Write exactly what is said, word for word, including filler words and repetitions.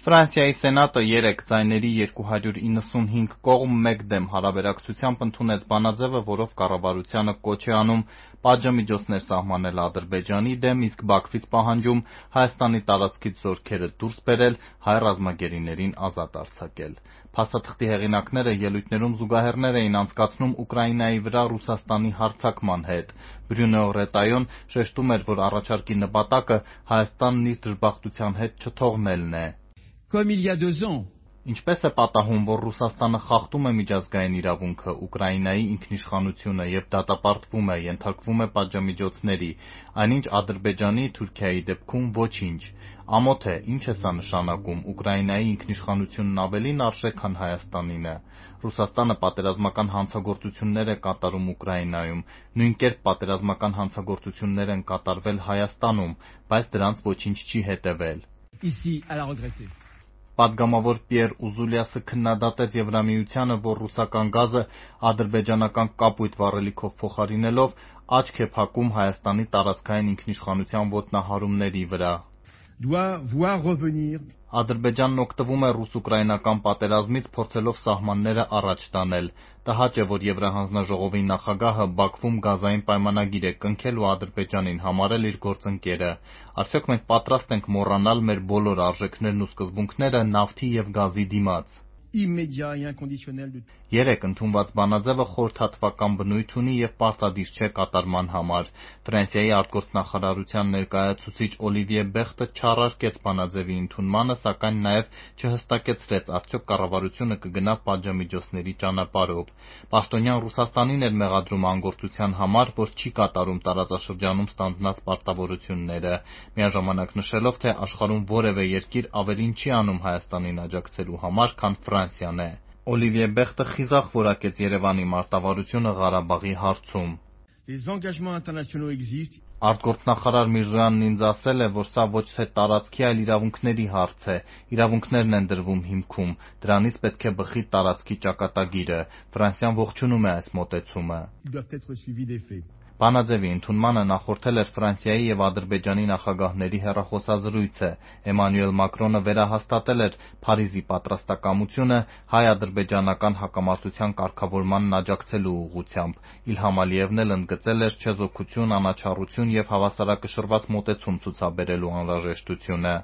Ֆրանսիայի Սենատը երեկ ձայների երկու հարյուր իննսունհինգ կողմ մեկ դեմ հարաբերակցությամբ ընդունեց բանաձևը, որով կառավարությանը կոչ է անում պատժամիջոցներ սահմանել Ադրբեջանի դեմ, իսկ Բաքվից պահանջում Հայաստանի տարածքից զորքերը դուրս բերել, հայ ռազմագերիներին ազատ արձակել։ Փաստաթղթի հեղինակները ելույթներում զուգահեռներ էին անցկացնում Ուկրաինայի վրա Ռուսաստանի հարձակման հետ։ Բրյունո Ռետայոն շեշտում էր, որ առաջարկի նպատակը Հայաստանն իր դժբախտության հետ չթողնելն է։ Ինչպես է պատահում, որ Ռուսաստանը խախտում է միջազգային իրավունքը, Ուկրաինայի ինքնիշխանությունը և դատապարտվում է, ենթարկվում է պատժամիջոցների, այնինչ Ադրբեջանի, Թուրքիայի դեպքում ոչինչ։ Ամոթ է, ինչ է սա նշանակում, Ուկրաինայի ինքնիշխանությունն ավելին արժե, քան Հայաստանինը։ Ռուսաստանը պատերազմական հանցագործություններ է կատարում Ուկրաինայում, նույն կերպ պատերազմական հանցագործություններ են կատարվել Հայաստանում, բայց դրանց ոչինչ չի հետևել։ Պատգամավոր Պիեր Ուզուլյասը քննադատեց Եվրամիությանը, որ ռուսական գազը ադրբեջանական կապույտ վառելիքով փոխարինելով աչք է փակում Հայաստանի տարածքային ինքնիշխանության ոտնահարումների վրա։ Ադրբեջանն օգտվում է ռուս-ուկրաինական պատերազմից, փորձելով սահմանները առաջ տանել։ Տհաճ է, որ Եվրահանձնաժողովի նախագահը Բաքվում գազային պայմանագիր է կնքել ու Ադրբեջանին համարել իր գործընկերը։ Արդյոք մենք պատրաստ ենք մոռանալ մեր բոլոր արժեքներն ու սկզբունքները նավթի և գազի դիմաց։ Երեկ ընդունված բանաձևը խորհրդատվական բնույթ ունի և պարտադիր չէ կատարման համար։ Ֆրանսիայի արտգործնախարարության ներկայացուցիչ Օլիվիե Բեխտը չառարկեց բանաձևի ընդունմանը, սակայն նաև չհստակեցրեց, արդյոք կառավարությունը կգնա պատժամիջոցների ճանապարհով։ Պաշտոնյան Ռուսաստանին էր մեղադրում անգործության համար, որ չի կատարում տարածաշրջանում ստանձնած պարտավորությունները, միաժամանակ նշելով, թե աշխարհում որևէ երկիր ավելին չի անում Հայաստանին աջակցելու համար, քան Ֆրանսիան է։ Օլիվիե Բեխտը խիզախ որակեց Երևանի մարտավարությունը Ղարաբաղի հարցում։ Արտգործնախարար Միրզոյանն ինձ ասել է, որ սա ոչ թե տարածքի, այլ իրավունքների հարց է։ Իրավունքներն են դրվում հիմքում, դրանից պետք է բխի տարածքի ճակատագիրը։ Ֆրանսիան ողջունում է այս մոտեցումը։ Բանաձևի ընդունմանը նախորդել էր Ֆրանսիայի և Ադրբեջանի նախագահների հեռախոսազրույցը։ Էմանուել Մակրոնը վերահաստատել էր Փարիզի պատրաստակամությունը հայ-ադրբեջանական հակամարտության կարգավորմանն աջակցելու ուղղությամբ։ Իլհամ Ալիևն էլ ընդգծել էր չեզոքություն, անաչառություն և հավասարակշռված մոտեցում ցուցաբերելու անհրաժեշտությունը։